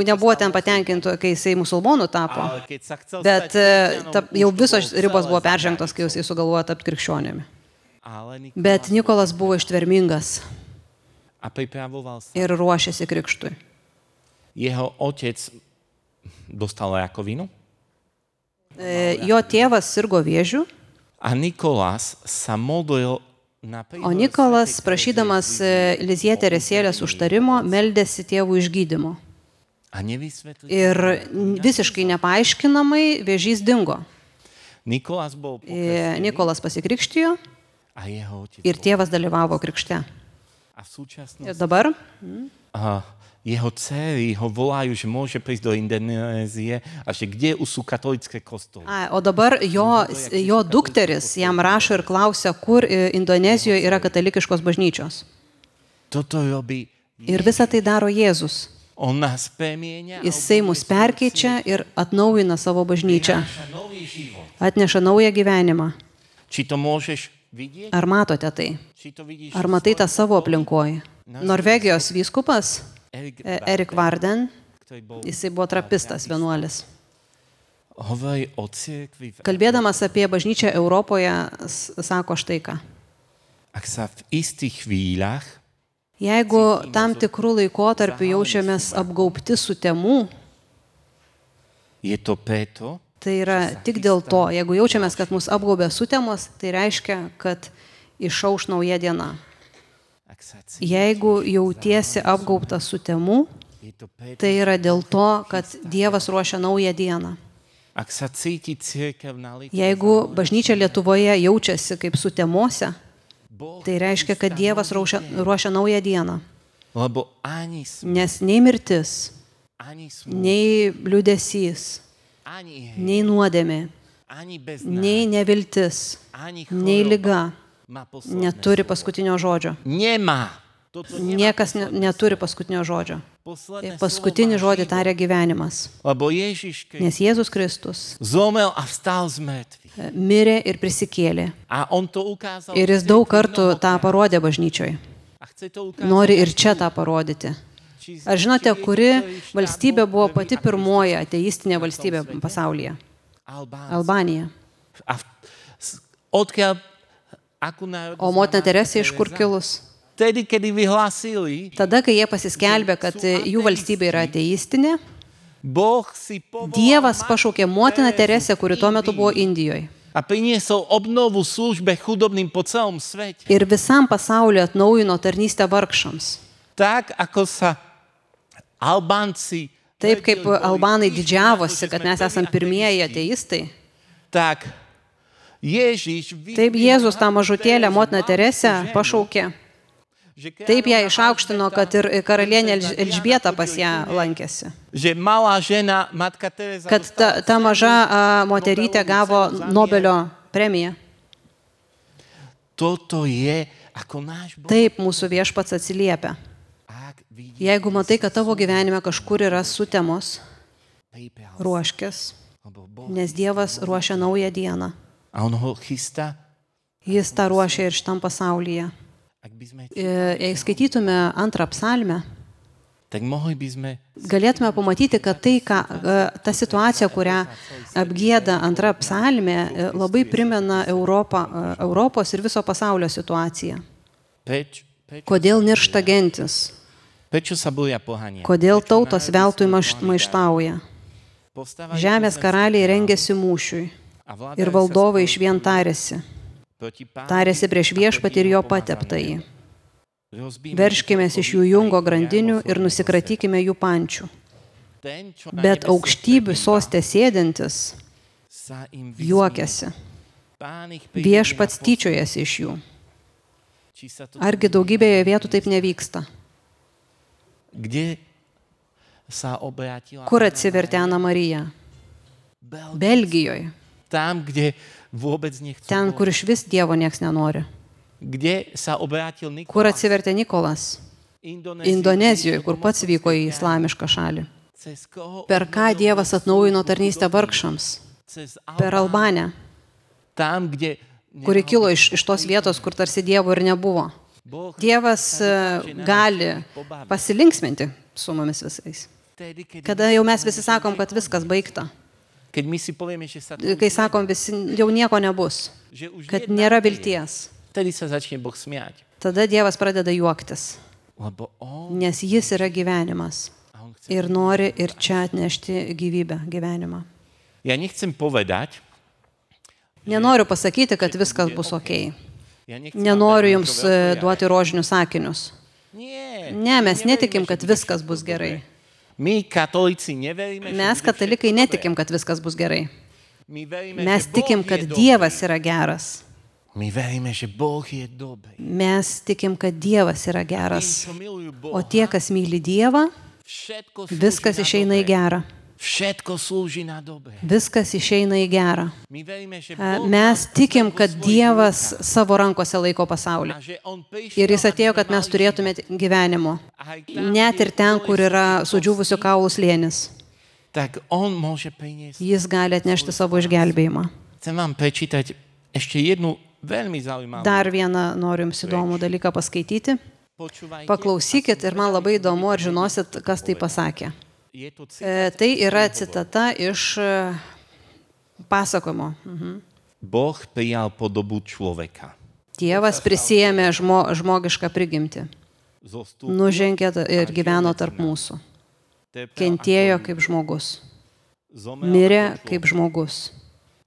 Speaker 3: nebuvo ten patenkintų, kai jisai musulmonų tapo.
Speaker 2: ale keď sa chcel
Speaker 3: Bet
Speaker 2: stať
Speaker 3: jau visos
Speaker 2: už toho
Speaker 3: ribos
Speaker 2: celé
Speaker 3: buvo
Speaker 2: zabrať.
Speaker 3: peržengtos, kai jisai sugalvojo tapti krikščionimi.
Speaker 2: Ale
Speaker 3: Bet Nikolas buvo ištvermingas.
Speaker 2: a pripravoval sa.
Speaker 3: ir ruošėsi krikštui.
Speaker 2: Jeho otec dostal rakovinu
Speaker 3: Jo tėvas sirgo vėžiu,
Speaker 2: a Nikolás sa modlil na
Speaker 3: o Nikolas, prašydamas Lizie Teresėlės užtarimo, meldėsi tėvų išgydymo.
Speaker 2: a nevysvetlil.
Speaker 3: Ir visiškai nepaaiškinamai vėžys dingo.
Speaker 2: Nikolás bol pokrstený
Speaker 3: Nikolas pasikrikštijo
Speaker 2: a jeho otec
Speaker 3: ir tėvas dalyvavo krikšte.
Speaker 2: a v súčasnosti
Speaker 3: Ir dabar
Speaker 2: jeho dcery ho volajú, že môže prísť do Indonézie a že kde sú katolické kostoly.
Speaker 3: o dabar jo dukteris jam rašo ir klausia, kur Indonezijoje yra katalikiškos bažnyčios.
Speaker 2: Toto robí.
Speaker 3: Ir visą tai daro Jėzus.
Speaker 2: On nás premieňa
Speaker 3: Jisai mus perkeičia ir atnaujina savo bažnyčią.
Speaker 2: nový život.
Speaker 3: Atneša naują gyvenimą.
Speaker 2: Či to môžeš vidieť?
Speaker 3: Ar matote tai?
Speaker 2: Či to vidíš?
Speaker 3: Ar matai tą savo aplinkoje? Norvegijos vyskupas Erik Varden,
Speaker 2: ktorý bol
Speaker 3: jisai buvo trapistas vienuolis.
Speaker 2: hovorí o cirkvi.
Speaker 3: Kalbėdamas apie bažnyčią Europoje, sako štai ką.
Speaker 2: Ak sa v istých chvíľach
Speaker 3: Jeigu tam tikrų laikotarpių jaučiamės apgaubti sutemų,
Speaker 2: je to preto,
Speaker 3: tai yra tik dėl to, jeigu jaučiamės, kad mus apgaubė sutemos, tai reiškia, kad išauš nauja diena.
Speaker 2: ak sa
Speaker 3: Jeigu jautiesi apgaubtas sutemų,
Speaker 2: je to preto,
Speaker 3: tai yra dėl to, kad Dievas ruošia naują dieną.
Speaker 2: ak sa cíti cirkev na litu,
Speaker 3: Jeigu bažnyčia Lietuvoje jaučiasi kaip sutemose,
Speaker 2: Boh,
Speaker 3: tai reiškia, kad Dievas ruošia naują dieną.
Speaker 2: lebo ani
Speaker 3: Nes nei mirtis,
Speaker 2: ani smúť,
Speaker 3: nei liūdesys,
Speaker 2: ani
Speaker 3: nei nuodėmė,
Speaker 2: ani beznádej,
Speaker 3: nei neviltis,
Speaker 2: ani
Speaker 3: nei
Speaker 2: choroba
Speaker 3: liga
Speaker 2: má posledné
Speaker 3: neturi
Speaker 2: slovo.
Speaker 3: paskutinio žodžio.
Speaker 2: Nemá. Toto nemá
Speaker 3: Niekas neturi paskutinio žodžio.
Speaker 2: posledné
Speaker 3: Paskutinį
Speaker 2: slovo má
Speaker 3: žodį
Speaker 2: život.
Speaker 3: taria gyvenimas.
Speaker 2: Lebo Ježiš Kristus
Speaker 3: Nes Jėzus Kristus
Speaker 2: zomrel a vstal z mŕtvych.
Speaker 3: mirė ir prisikėlė.
Speaker 2: A on to ukázal.
Speaker 3: Ir jis daug kartų tą parodė bažnyčioje.
Speaker 2: A chce to ukázať.
Speaker 3: Nori ir čia tą parodyti. Ar žinote, kuri valstybė buvo pati pirmoji ateistinė valstybė pasaulyje? Albanija.
Speaker 2: A odkiaľ akú národnosť?
Speaker 3: O motina Teresė iš kur kilus?
Speaker 2: Tedy, kedy vyhlásili,
Speaker 3: Tada, kai jie pasiskelbė, kad jų valstybė yra ateistinė,
Speaker 2: Boh si povolal
Speaker 3: Dievas pašaukė motiną Teresę, kuri tuo metu buvo Indijoje.
Speaker 2: a priniesol obnovu službe chudobným po celom svete.
Speaker 3: Ir visam pasauliu atnaujino tarnystę vargšams.
Speaker 2: Tak, ako sa Albánci
Speaker 3: Taip kaip albanai didžiavosi, kad mes esam pirmieji ateistai,
Speaker 2: tak Ježiš
Speaker 3: taip Jėzus tą mažutėlę motiną Teresę pašaukė. Taip ją išaukštino, kad ir karalienė Elžbieta pas ją lankėsi.
Speaker 2: že malá žena, matka Teresa,
Speaker 3: Kad ta maža moterytė gavo Nobelio premiją.
Speaker 2: toto je ako náš Boh.
Speaker 3: Taip mūsų viešpats atsiliepia.
Speaker 2: Ak vidí,
Speaker 3: Jeigu matai, kad tavo gyvenime kažkur yra sutemos,
Speaker 2: pripravil,
Speaker 3: ruoškis,
Speaker 2: lebo Boh.
Speaker 3: nes Dievas ruošia naują dieną.
Speaker 2: A on ho chystá.
Speaker 3: Jis tą ruošia ir šitam pasaulyje.
Speaker 2: Ak by sme,
Speaker 3: Jei skaitytume antrą psalmę,
Speaker 2: tak mohli by sme
Speaker 3: galėtume pamatyti, kad tai, ta situacija, kurią apgieda antra psalmė, labai primena Europos ir viso pasaulio situaciją. Kodėl niršta gentis?
Speaker 2: prečo sa boja pohania?
Speaker 3: Kodėl tautos veltui maištauja? Žemės karaliai rengėsi mūšiui ir valdovai išvien tarėsi. Tarėsi prieš viešpatį ir jo pateptąjį. Verškimės iš jų jungo grandinių ir nusikratykime jų pančių. Bet aukštybių sostė sėdintis juokiasi. Viešpats tyčiojasi iš jų. Argi daugybėje vietų taip nevyksta?
Speaker 2: Kde sa obrátila?
Speaker 3: Kur atsivertė Ana Marija? Belgijoje.
Speaker 2: Tam, kde vôbec nechcú.
Speaker 3: Ten, kur iš vis Dievo nieks nenori.
Speaker 2: Kde sa obrátil Nikolás?
Speaker 3: Kur atsivertė Nikolas? Indonezijoje, kur pats vyko į islamišką šalį.
Speaker 2: Cez koho?
Speaker 3: Per ką Dievas atnaujino tarnystę vargšams?
Speaker 2: Cez
Speaker 3: Per Albanę,
Speaker 2: Tam, kde
Speaker 3: kuri kilo iš tos vietos, kur tarsi Dievo ir nebuvo.
Speaker 2: Boh
Speaker 3: Dievas gali pasilinksminti su mumis visais.
Speaker 2: vtedy, keď
Speaker 3: Kada jau mes visi sakom, kad viskas baigta.
Speaker 2: my si povieme, že sa to
Speaker 3: Kai sakom, visi jau nieko nebus.
Speaker 2: že už
Speaker 3: Kad
Speaker 2: jedna
Speaker 3: nėra
Speaker 2: chvíľa,
Speaker 3: vilties.
Speaker 2: vtedy sa začne Boh smiať.
Speaker 3: Tada Dievas pradeda juoktis.
Speaker 2: lebo on,
Speaker 3: nes jis yra gyvenimas
Speaker 2: a on chce.
Speaker 3: ir nori ir čia atnešti gyvybę, gyvenimą.
Speaker 2: Ja nechcem povedať,
Speaker 3: Nenoriu pasakyti, kad viskas bus ok.
Speaker 2: ja nechcem
Speaker 3: Nenoriu
Speaker 2: vám
Speaker 3: jums
Speaker 2: dať niečo veľké,
Speaker 3: duoti rožinius sakinius.
Speaker 2: Nie,
Speaker 3: Ne, mes
Speaker 2: neveríme,
Speaker 3: netikim,
Speaker 2: že
Speaker 3: kad
Speaker 2: bude
Speaker 3: viskas
Speaker 2: všetko
Speaker 3: bus gerai.
Speaker 2: dobré. My, katolíci, neveríme, že
Speaker 3: Mes,
Speaker 2: bude
Speaker 3: katalikai,
Speaker 2: všetko
Speaker 3: netikim,
Speaker 2: dobré.
Speaker 3: kad viskas bus gerai.
Speaker 2: My veríme,
Speaker 3: Mes
Speaker 2: že
Speaker 3: tikim,
Speaker 2: Boh
Speaker 3: kad
Speaker 2: je
Speaker 3: Dievas
Speaker 2: dobrý.
Speaker 3: yra geras.
Speaker 2: My veríme, že Boh je dobrý.
Speaker 3: Mes tikim, kad Dievas yra
Speaker 2: Tí,
Speaker 3: geras.
Speaker 2: čo milujú
Speaker 3: O
Speaker 2: Boha,
Speaker 3: tie, kas myli Dievą,
Speaker 2: všetko slúži
Speaker 3: viskas
Speaker 2: na
Speaker 3: išeina į
Speaker 2: dobré.
Speaker 3: gerą.
Speaker 2: Všetko slúži na dobré.
Speaker 3: Viskas išeina į gerą.
Speaker 2: My veríme, že Boh
Speaker 3: Mes
Speaker 2: nás
Speaker 3: tikim,
Speaker 2: vo
Speaker 3: kad
Speaker 2: svojich
Speaker 3: Dievas
Speaker 2: rukách
Speaker 3: savo rankose laiko pasaulį.
Speaker 2: a že on prišiel,
Speaker 3: Ir jis
Speaker 2: aby
Speaker 3: atėjo,
Speaker 2: sme
Speaker 3: kad mes
Speaker 2: mali
Speaker 3: turėtume
Speaker 2: život.
Speaker 3: gyvenimo.
Speaker 2: Aj tam,
Speaker 3: Net
Speaker 2: kde
Speaker 3: ir ten,
Speaker 2: boli
Speaker 3: kur yra
Speaker 2: všetky
Speaker 3: sudžiūvusių
Speaker 2: kosti,
Speaker 3: kaulų slėnis.
Speaker 2: tak on môže priniesť.
Speaker 3: Jis gali atnešti savo išgelbėjimą.
Speaker 2: Chcem vám prečítať ešte jednu veľmi zaujímavú.
Speaker 3: Dar vieną noriu jums įdomų dalyką paskaityti.
Speaker 2: Počúvajte.
Speaker 3: Paklausykit ir man labai įdomu, ar žinosit, kas tai pasakė.
Speaker 2: Je to citát.
Speaker 3: Tai yra citata iš pasakojimo.
Speaker 2: Boh prijal podobu človeka.
Speaker 3: Dievas prisijėmė žmogišką prigimtį.
Speaker 2: Zostúpil,
Speaker 3: Nužengė ir gyveno tarp mūsų.
Speaker 2: trpel
Speaker 3: Kentėjo
Speaker 2: ako
Speaker 3: kaip žmogus.
Speaker 2: zomrel
Speaker 3: Mirė
Speaker 2: ako
Speaker 3: kaip
Speaker 2: človek.
Speaker 3: žmogus.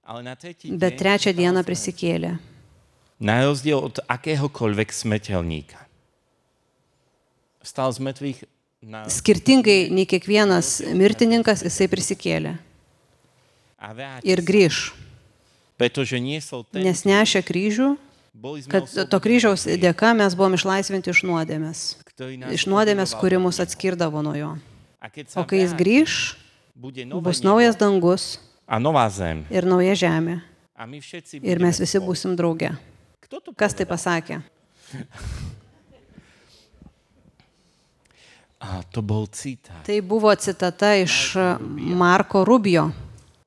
Speaker 2: Ale na tretí
Speaker 3: Bet
Speaker 2: deň
Speaker 3: trečią
Speaker 2: vstal
Speaker 3: dieną
Speaker 2: z mŕtvych.
Speaker 3: prisikėlė.
Speaker 2: Na rozdiel od akéhokoľvek smrteľníka. Vstal z mŕtvych na...
Speaker 3: Skirtingai nei kiekvienas mirtininkas, jisai prisikėlė.
Speaker 2: a vrátil
Speaker 3: Ir
Speaker 2: sa.
Speaker 3: grįž.
Speaker 2: Pretože niesol ten,
Speaker 3: Nes nešė kryžių,
Speaker 2: boli sme
Speaker 3: kad to kryžiaus
Speaker 2: oslobodení,
Speaker 3: dėka mes buvom išlaisvinti iš nuodėmės.
Speaker 2: ktorý nás
Speaker 3: Iš nuodėmės,
Speaker 2: oddeloval
Speaker 3: kuri
Speaker 2: od
Speaker 3: mus
Speaker 2: neho.
Speaker 3: atskirdavo nuo jo.
Speaker 2: A keď sa
Speaker 3: O kai jis
Speaker 2: vráti,
Speaker 3: grįž,
Speaker 2: bude nové
Speaker 3: bus
Speaker 2: nebo
Speaker 3: naujas dangus
Speaker 2: a nová zem.
Speaker 3: ir nauja žemė.
Speaker 2: A my všetci
Speaker 3: Ir
Speaker 2: budeme
Speaker 3: mes visi
Speaker 2: spolu.
Speaker 3: būsim drauge.
Speaker 2: Kto to
Speaker 3: Kas tai
Speaker 2: povedal?
Speaker 3: pasakė?
Speaker 2: A to bol citát.
Speaker 3: Tai buvo citata iš Marko Rubio.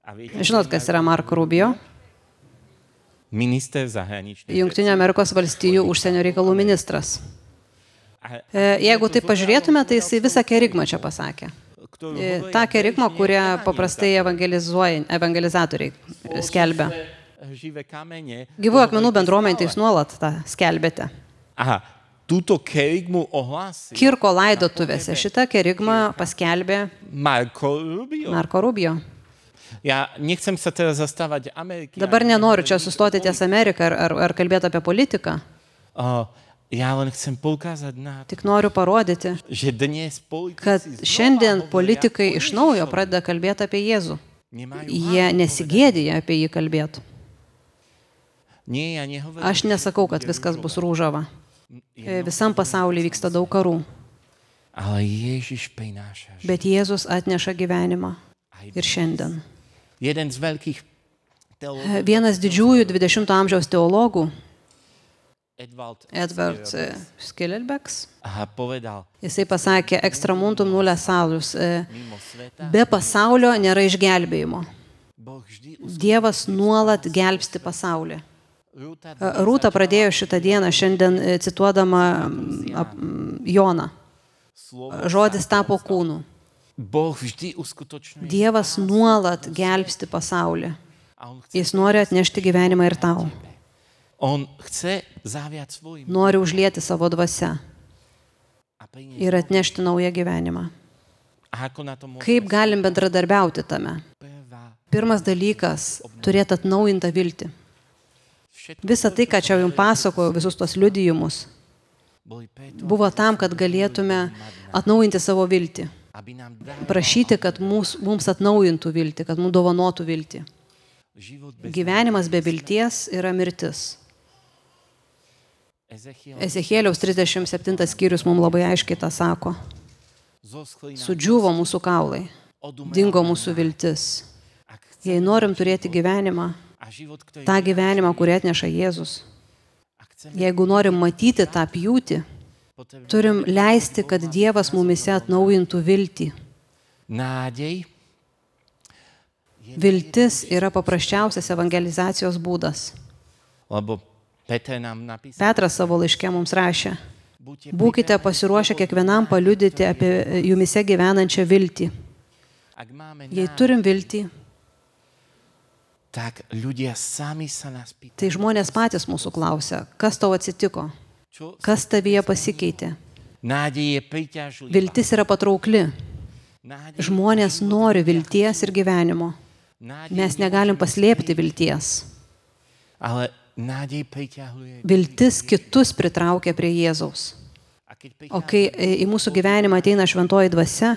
Speaker 2: A viete,
Speaker 3: Žinot, kas yra Marko Rubio?
Speaker 2: minister zahraničných
Speaker 3: Junktinio Amerikos valstijų užsienio reikalų ministras.
Speaker 2: A
Speaker 3: Jeigu tai pažiūrėtume, tai jisai visą kerigmą čia pasakė.
Speaker 2: ktorú
Speaker 3: Ta kerigma, kurią paprastai evangelizatoriai skelbia.
Speaker 2: živé kamene.
Speaker 3: Gyvų akmenų bendruomenė tai jūs nuolat tą skelbėte.
Speaker 2: Aha, túto kerigmu ohlásil
Speaker 3: Kirko laidotuvėse šitą kerigmą paskelbė
Speaker 2: Marko Rubio.
Speaker 3: Marko Rubio.
Speaker 2: Ja nechcem sa teraz zastávať Ameriky.
Speaker 3: Dabar nenoriu čia sustoti ties Ameriką ar kalbėti apie politiką.
Speaker 2: Ja len chcem poukázať na to,
Speaker 3: Tik noriu parodyti,
Speaker 2: že dnes
Speaker 3: kad
Speaker 2: politici
Speaker 3: šiandien
Speaker 2: znova
Speaker 3: politikai
Speaker 2: hovoria
Speaker 3: iš
Speaker 2: o
Speaker 3: naujo
Speaker 2: Ježišovi.
Speaker 3: pradeda kalbėti apie Jėzų.
Speaker 2: Nemajú
Speaker 3: Jie
Speaker 2: hábu
Speaker 3: nesigėdija apie jį kalbėti.
Speaker 2: povedať. Nie, ja nehovorím.
Speaker 3: Aš nesakau, kad viskas bus rūžava. Visam pasaulyje vyksta daug karų,
Speaker 2: Ale Ježiš prináša život.
Speaker 3: bet Jėzus atneša gyvenimą ir šiandien.
Speaker 2: Jeden z veľkých teológov,
Speaker 3: Vienas didžiųjų 20-ojo amžiaus teologų, Edward Skillelbecks,
Speaker 2: povedal,
Speaker 3: jisai pasakė, extramuntum nulle salus,
Speaker 2: mimo sveta,
Speaker 3: be pasaulio nėra išgelbėjimo.
Speaker 2: Boh vždy
Speaker 3: Dievas nuolat gelbsti pasaulį.
Speaker 2: Rúta
Speaker 3: Rūta pradėjo šitą dieną šiandien cituodama Joną.
Speaker 2: slovo.
Speaker 3: Žodis tapo kūnu.
Speaker 2: Boh vždy uskutočňuje.
Speaker 3: Dievas nuolat gelbsti pasaulį.
Speaker 2: A on chce,
Speaker 3: Jis nori atnešti gyvenimą ir tau.
Speaker 2: on chce zaviať svojim
Speaker 3: Nori užlieti savo dvasę
Speaker 2: a priniesť.
Speaker 3: ir atnešti naują gyvenimą.
Speaker 2: A ako na to môže?
Speaker 3: Kaip galim bendradarbiauti tame?
Speaker 2: Prvá.
Speaker 3: Pirmas dalykas - turėti atnaujintą viltį.
Speaker 2: Všetko
Speaker 3: Visa tai, ką čia jums pasakojau, visus tos liudijimus,
Speaker 2: boli preto,
Speaker 3: buvo tam, kad galėtume atnaujinti savo viltį.
Speaker 2: aby nám dal
Speaker 3: Prašyti, kad mums atnaujintų viltį, kad mums dovanotų viltį.
Speaker 2: život bez
Speaker 3: Gyvenimas be vilties yra mirtis.
Speaker 2: Ezechiel
Speaker 3: Ezechėliaus 37 skyrius mums labai aiškiai tą sako.
Speaker 2: zoschlí nám
Speaker 3: Sudžiuvo mūsų kaulai,
Speaker 2: odumrel
Speaker 3: dingo mūsų viltis.
Speaker 2: Ak chceme
Speaker 3: Jei norim turėti gyvenimą,
Speaker 2: a život, ktorý
Speaker 3: tą gyvenimą, kurį atneša Jėzus,
Speaker 2: ak chceme,
Speaker 3: jeigu norim matyti tą pjūtį,
Speaker 2: potrebujeme
Speaker 3: turim leisti, kad Dievas mumise atnaujintų viltį.
Speaker 2: nádej,
Speaker 3: Viltis yra paprasčiausias evangelizacijos būdas.
Speaker 2: lebo Peter nám napísal,
Speaker 3: Petras savo laiške mums rašė,
Speaker 2: buďte
Speaker 3: būkite pasiruošę kiekvienam paliudyti apie jumise gyvenančią viltį.
Speaker 2: ak máme
Speaker 3: Jei
Speaker 2: nádej,
Speaker 3: turim viltį,
Speaker 2: tak ľudia sami sa nás pýtajú,
Speaker 3: tai žmonės patys mūsų klausia, kas tau atsitiko,
Speaker 2: čo
Speaker 3: kas tavyje pasikeitė,
Speaker 2: Nádej je príťažlivá.
Speaker 3: Viltis yra patraukli.
Speaker 2: Nádej,
Speaker 3: Žmonės nori vilties ir gyvenimo. Mes negalim paslėpti vilties.
Speaker 2: ale nádej priťahuje.
Speaker 3: Viltis kitus pritraukia prie Jėzaus.
Speaker 2: A keď
Speaker 3: O kai į mūsų gyvenimą ateina šventoji dvasia,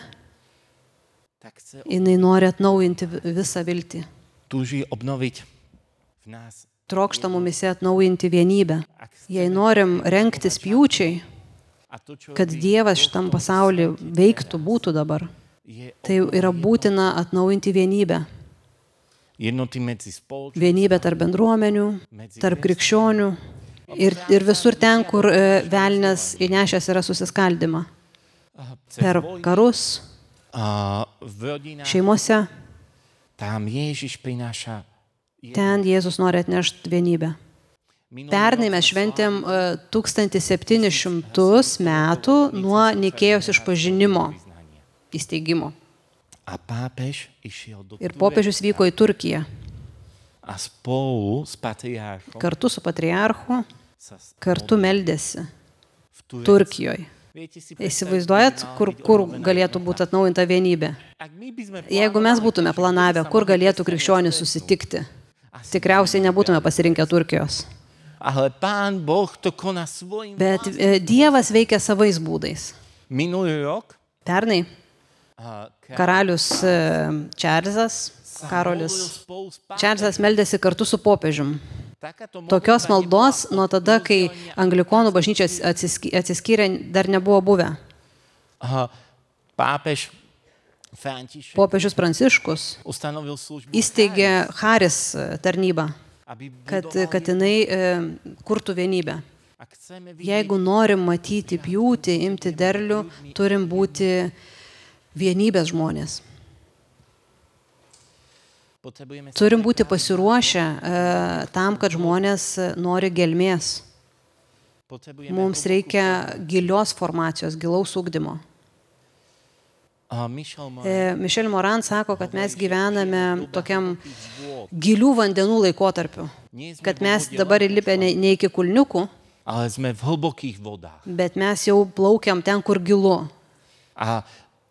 Speaker 2: tak chce
Speaker 3: jinai nori atnaujinti visą viltį.
Speaker 2: túži obnoviť v nás.
Speaker 3: Trokšta mumise atnaujinti vienybę. Jei norim rengtis pjūčiai,
Speaker 2: A to, čo
Speaker 3: kad Dievas šitam pasaulyje veiktų, būtų dabar,
Speaker 2: je
Speaker 3: tai yra būtina atnaujinti vienybę.
Speaker 2: jednoty medzi spoločnosťou,
Speaker 3: Vienybę tarp bendruomenių, tarp krikščionių ir visur ten, kur velnias įnešęs yra susiskaldimą. Per karus,
Speaker 2: v rodinách,
Speaker 3: šeimose,
Speaker 2: tam Ježiš prináša.
Speaker 3: ten Jėzus nori atnešti vienybę. Pernai mes šventėm 1700 metų nuo Nikėjos išpažinimo įsteigimo.
Speaker 2: A pápež išiel do
Speaker 3: Ir popiežius vyko į Turkiją.
Speaker 2: a spolu s patriarchom
Speaker 3: Kartu su patriarchu,
Speaker 2: sa
Speaker 3: kartu meldėsi
Speaker 2: v Turecku.
Speaker 3: Turkijoje.
Speaker 2: Viete si
Speaker 3: Įsivaizduojat, kur galėtų būti atnaujinta vienybė?
Speaker 2: ak my by sme
Speaker 3: Jeigu mes būtume planavę, kur galėtų krikščionys susitikti, tikriausiai nebūtume pasirinkę Turkijos.
Speaker 2: ale Pán Boh to koná svojím
Speaker 3: Bet Dievas veikia savais būdais.
Speaker 2: minulý rok
Speaker 3: Pernai
Speaker 2: a
Speaker 3: karalius Čarlzas, Karolis
Speaker 2: spolu s
Speaker 3: Čarlzas meldėsi kartu su popiežium.
Speaker 2: takáto
Speaker 3: Tokios maldos nuo tada, kai anglikonų bažnyčia atsiskyrė, dar nebuvo buvę.
Speaker 2: pápež František
Speaker 3: Popiežius Pranciškus
Speaker 2: ustanovil službu,
Speaker 3: įsteigė Haris tarnybą,
Speaker 2: aby
Speaker 3: kad jinai kurtų vienybę.
Speaker 2: ak chceme
Speaker 3: Jeigu norim matyti pjūtį, imti derlių, turim būti vienybės žmonės.
Speaker 2: potrebujeme
Speaker 3: Turim būti pasiruošę tam, kad žmonės nori gelmės.
Speaker 2: potrebujeme
Speaker 3: Mums reikia gilios formacijos, gilaus ugdymo. Michel Moran sako, kad mes gyvename tokiam gilių vandenų laikotarpiu. Kad mes dabar įlipę ne iki kulniukų,
Speaker 2: ale sme v hlbokých vodách.
Speaker 3: bet mes jau plaukiam ten, kur gilu.
Speaker 2: A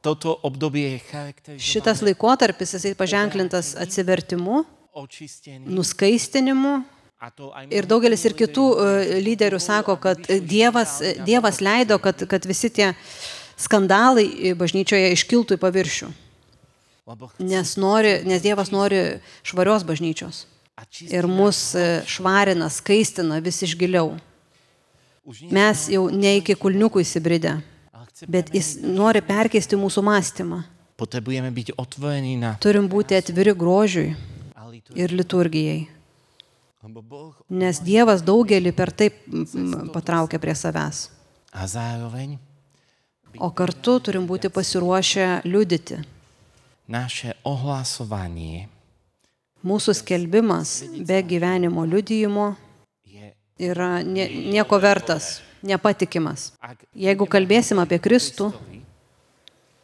Speaker 2: toto obdobie je charakterizované
Speaker 3: Šitas laikotarpis, jisai paženklintas atsivertimu,
Speaker 2: očistený.
Speaker 3: nuskaistinimu.
Speaker 2: A to aj
Speaker 3: Ir daugelis ir kitų lyderių sako, kad Dievas leido, kad visi tie skandalai bažnyčioje iškiltų į paviršių.
Speaker 2: lebo
Speaker 3: Nes Dievas nori švarios bažnyčios.
Speaker 2: a
Speaker 3: Ir mus švarina, skaistina vis iš giliau. Mes jau ne iki kulniukų įsibridę,
Speaker 2: ale chceme,
Speaker 3: bet jis nori perkeisti mūsų mąstymą.
Speaker 2: potrebujeme byť otvorení na
Speaker 3: Turim būti atviri grožiui
Speaker 2: a liturgiu.
Speaker 3: ir liturgijai.
Speaker 2: Lebo Boh
Speaker 3: Nes Dievas daugelį per taip patraukia prie savęs.
Speaker 2: a zároveň
Speaker 3: O kartu turim būti pasiruošę liudyti.
Speaker 2: naše ohlasovanie
Speaker 3: Mūsų skelbimas be gyvenimo liudijimo
Speaker 2: je,
Speaker 3: yra nieko vertas, nepatikimas.
Speaker 2: ak
Speaker 3: Jeigu kalbėsim apie Kristų,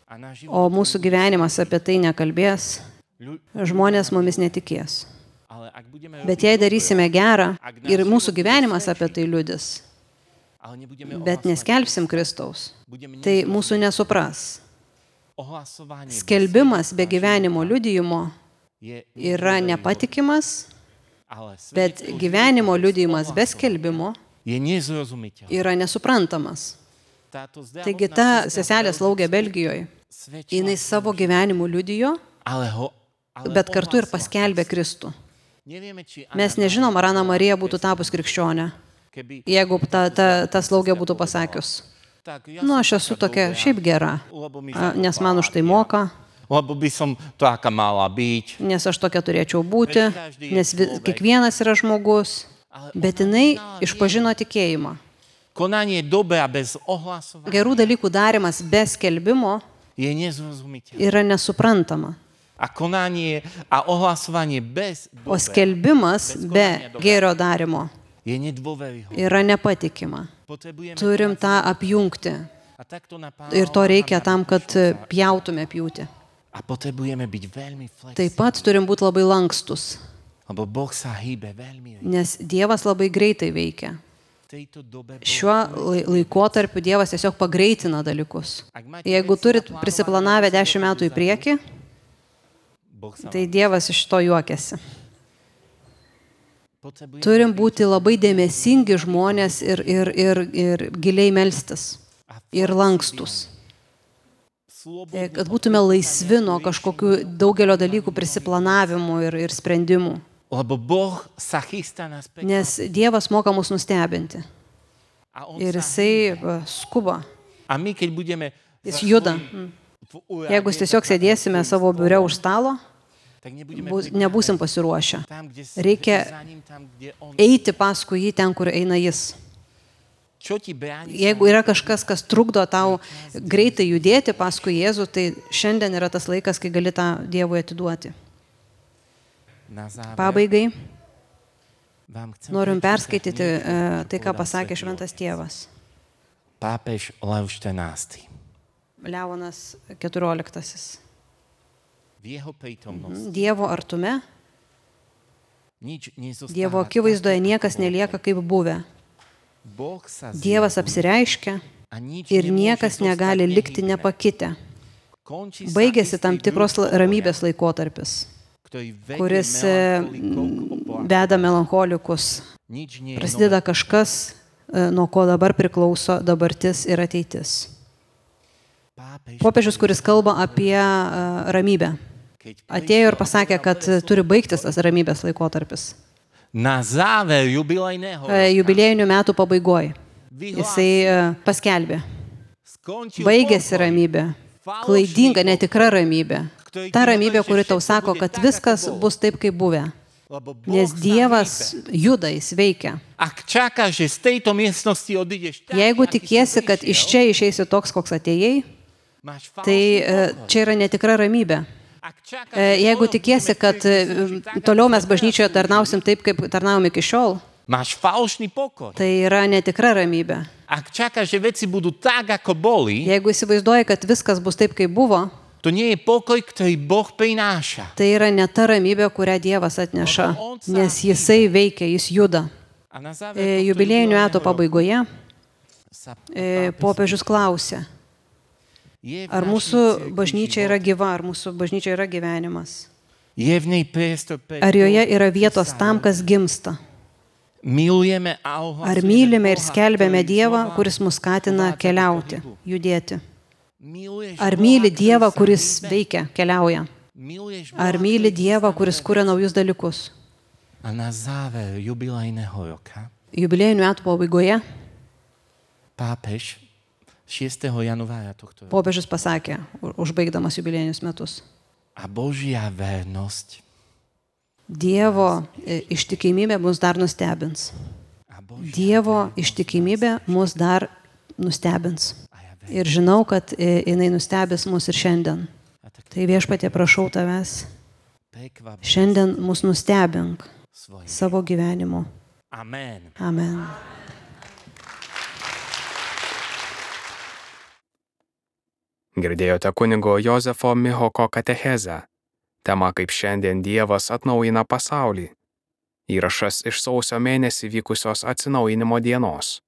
Speaker 2: a náš život,
Speaker 3: o mūsų gyvenimas apie tai nekalbės,
Speaker 2: ľu-
Speaker 3: žmonės mumis netikės.
Speaker 2: ale ak budeme
Speaker 3: Bet jei darysime gerą ir mūsų gyvenimas apie tai liudys,
Speaker 2: ale nebudeme
Speaker 3: bet neskelbsim Kristaus,
Speaker 2: budeme
Speaker 3: tai mūsų nesupras.
Speaker 2: ohlasovanie
Speaker 3: Skelbimas be gyvenimo liudijimo
Speaker 2: je,
Speaker 3: yra nepatikimas,
Speaker 2: ale
Speaker 3: bet
Speaker 2: svedectvo
Speaker 3: gyvenimo liudijimo be skelbimo
Speaker 2: je nezrozumiteľné.
Speaker 3: yra nesuprantamas.
Speaker 2: Táto
Speaker 3: Taigi
Speaker 2: zdravotná
Speaker 3: ta
Speaker 2: sestra
Speaker 3: seselė slaugė Belgijoje.
Speaker 2: svedčila,
Speaker 3: Jinai savo gyvenimu liudijo,
Speaker 2: ale
Speaker 3: bet kartu ir
Speaker 2: ohlasovala.
Speaker 3: paskelbė Kristų.
Speaker 2: Nevieme, či
Speaker 3: Mes nežinom, ar Ana Marija būtų tapus krikščionė,
Speaker 2: keby
Speaker 3: jeigu ta slaugė būtų pasakius.
Speaker 2: tak ja
Speaker 3: Nu,
Speaker 2: som
Speaker 3: aš esu
Speaker 2: taká
Speaker 3: tokia
Speaker 2: dobrá,
Speaker 3: šiaip gera,
Speaker 2: lebo mi
Speaker 3: nes man už tai moka,
Speaker 2: lebo by som to aká mala byť.
Speaker 3: nes aš tokia turėčiau būti, nes kiekvienas yra žmogus. Bet jinai išpažino tikėjimą.
Speaker 2: Konanie dobra bez ohlasovania
Speaker 3: Gerų dalykų darimas be skelbimo
Speaker 2: je nezrozumiteľné.
Speaker 3: yra nesuprantama.
Speaker 2: A konanie a ohlasovanie bez
Speaker 3: O skelbimas be gėrio darimo
Speaker 2: je nedôveryhodné.
Speaker 3: yra nepatikima.
Speaker 2: Potrebujeme
Speaker 3: Turim tą apjungti.
Speaker 2: a takto na Pána
Speaker 3: Ir to reikia
Speaker 2: Abrahama
Speaker 3: tam, kad
Speaker 2: vyšľúchať.
Speaker 3: pjautume pjūti.
Speaker 2: A potrebujeme byť veľmi
Speaker 3: Taip
Speaker 2: flexibilní,
Speaker 3: pat turim būti labai lankstus,
Speaker 2: lebo Boh sa hýbe veľmi rýchlo.
Speaker 3: nes Dievas labai greitai veikia. Šiuo laikotarpiu Dievas tiesiog pagreitina dalykus. Jeigu turit prisiplanavę 10 metų į priekį, tai Dievas iš to juokiasi. Turim būti labai dėmesingi žmonės ir giliai melstis. Ir lankstus. Kad būtume laisvi nuo kažkokių daugelio dalykų prisiplanavimų ir sprendimų. Nes Dievas moka mus nustebinti. Ir jisai skuba. Jis juda. Jeigu tiesiog sėdėsime savo biure už stalo, nebūsim pasiruošę. Reikia eiti paskui jį ten, kur eina jis. Jeigu yra kažkas, kas trukdo tau greitai judėti paskui Jėzų, tai šiandien yra tas laikas, kai gali tą Dievui atiduoti. Pabaigai norim perskaityti tai, ką pasakė Šventas Tėvas.
Speaker 2: Pápež Lev XIV.
Speaker 3: Leonas XIV.
Speaker 2: V jeho prítomnosti
Speaker 3: Dievo artume,
Speaker 2: nič nezostáva.
Speaker 3: Dievo akivaizdoje niekas nelieka kaip buvę.
Speaker 2: Boh sa
Speaker 3: Dievas apsireiškia
Speaker 2: a nič
Speaker 3: ir
Speaker 2: nemôže
Speaker 3: niekas
Speaker 2: zostať
Speaker 3: negali likti
Speaker 2: nehytné.
Speaker 3: nepakitę.
Speaker 2: Končí sa
Speaker 3: Baigėsi
Speaker 2: istý
Speaker 3: tam tikros
Speaker 2: druh
Speaker 3: ramybės laikotarpis,
Speaker 2: ktorý vedie
Speaker 3: kuris
Speaker 2: melancholikov po
Speaker 3: veda melancholikus.
Speaker 2: nič nie je
Speaker 3: Prasideda
Speaker 2: nové.
Speaker 3: kažkas, nuo ko dabar priklauso dabartis ir ateitis.
Speaker 2: Pápež,
Speaker 3: Popiežius, kuris kalba apie ramybę,
Speaker 2: keď
Speaker 3: atėjo ir pasakė, kad turi baigtis tas ramybės laikotarpis.
Speaker 2: na záver jubilejného
Speaker 3: Jubiliejinių metų pabaigoje.
Speaker 2: vyhlásil,
Speaker 3: Jisai paskelbė.
Speaker 2: skončil
Speaker 3: Baigėsi
Speaker 2: pokoj,
Speaker 3: ramybė.
Speaker 2: falošný
Speaker 3: Klaidinga,
Speaker 2: pokoj,
Speaker 3: netikra ramybė. Ta ramybė, kuri tau sako, kad viskas bus taip, kaip buvę.
Speaker 2: lebo Boh
Speaker 3: Nes
Speaker 2: sa
Speaker 3: Dievas
Speaker 2: hýbe.
Speaker 3: juda, jis veikia.
Speaker 2: Ak čakáš, že z tejto miestnosti odídeš tak,
Speaker 3: Jeigu
Speaker 2: aký si
Speaker 3: tikiesi, kad
Speaker 2: prišiel,
Speaker 3: iš čia išeisi toks, koks atėjai,
Speaker 2: máš
Speaker 3: tai
Speaker 2: falošný pokoj.
Speaker 3: čia yra netikra ramybė.
Speaker 2: Ak čakáš, že
Speaker 3: Jeigu
Speaker 2: toliau
Speaker 3: tikiesi,
Speaker 2: budeme
Speaker 3: kad
Speaker 2: chcieť slúžiť tak,
Speaker 3: toliau
Speaker 2: ako
Speaker 3: mes
Speaker 2: si
Speaker 3: bažnyčioje
Speaker 2: zaslúžil,
Speaker 3: tarnausim taip, kaip tarnavom iki šiol,
Speaker 2: máš falošný pokoj.
Speaker 3: tai yra netikra ramybė.
Speaker 2: Ak čakáš, že veci budú tak, ako boli,
Speaker 3: Jeigu įsivaizduoji, kad viskas bus taip, kaip buvo,
Speaker 2: to nie je pokoj, ktorý Boh prináša.
Speaker 3: tai yra ne ta ramybė, kurią Dievas atneša, nes jisai veikia, jis juda.
Speaker 2: A na záver tohto
Speaker 3: Jubiliejinių metų
Speaker 2: jubilejného
Speaker 3: pabaigoje
Speaker 2: sa
Speaker 3: popiežius klausė,
Speaker 2: je v
Speaker 3: ar
Speaker 2: našej
Speaker 3: mūsų
Speaker 2: cirkvi
Speaker 3: bažnyčia
Speaker 2: život?
Speaker 3: yra gyva, ar mūsų bažnyčia yra gyvenimas,
Speaker 2: Je v nej priestor pre
Speaker 3: ar joje
Speaker 2: to,
Speaker 3: yra
Speaker 2: čo
Speaker 3: vietos
Speaker 2: sa
Speaker 3: tam, kas gimsta,
Speaker 2: milujeme a
Speaker 3: ar
Speaker 2: ohlasujeme
Speaker 3: mylime ir
Speaker 2: Boha,
Speaker 3: skelbiame
Speaker 2: ktorý
Speaker 3: Dievą,
Speaker 2: znova
Speaker 3: kuris mus skatina
Speaker 2: povádza do
Speaker 3: keliauti,
Speaker 2: pohybu.
Speaker 3: judėti.
Speaker 2: Miluješ
Speaker 3: Ar
Speaker 2: Boha,
Speaker 3: myli
Speaker 2: ktorý
Speaker 3: Dievą,
Speaker 2: sa
Speaker 3: kuris
Speaker 2: hýbe?
Speaker 3: veikia, keliauja,
Speaker 2: Miluješ
Speaker 3: ar
Speaker 2: Boha,
Speaker 3: myli
Speaker 2: ktorý
Speaker 3: Dievą,
Speaker 2: chystá
Speaker 3: kuris
Speaker 2: nové
Speaker 3: kuria
Speaker 2: veci?
Speaker 3: naujus dalykus.
Speaker 2: A na záver jubilejného roka
Speaker 3: Jubiliejinių metų pabaigoje
Speaker 2: pápež 6. januára tohto roku
Speaker 3: popiežius pasakė, užbaigdamas jubiliejinius metus,
Speaker 2: a Božia vernosť
Speaker 3: Dievo ištikimybė mus dar nustebins.
Speaker 2: a Božia
Speaker 3: Dievo ištikimybė mus dar nustebins.
Speaker 2: a ja verím.
Speaker 3: Ir žinau, kad jinai nustebins mus ir šiandien.
Speaker 2: A tak
Speaker 3: Tai viešpatie, prašau tavęs,
Speaker 2: prekvap
Speaker 3: šiandien mus nustebink
Speaker 2: svojim.
Speaker 3: savo gyvenimu.
Speaker 2: Amen.
Speaker 3: Amen.
Speaker 1: Girdėjote kunigo Jozefo Mihoko katechezę. Tema kaip šiandien Dievas atnaujina pasaulį. Įrašas iš sausio mėnesį vykusios atsinaujinimo dienos.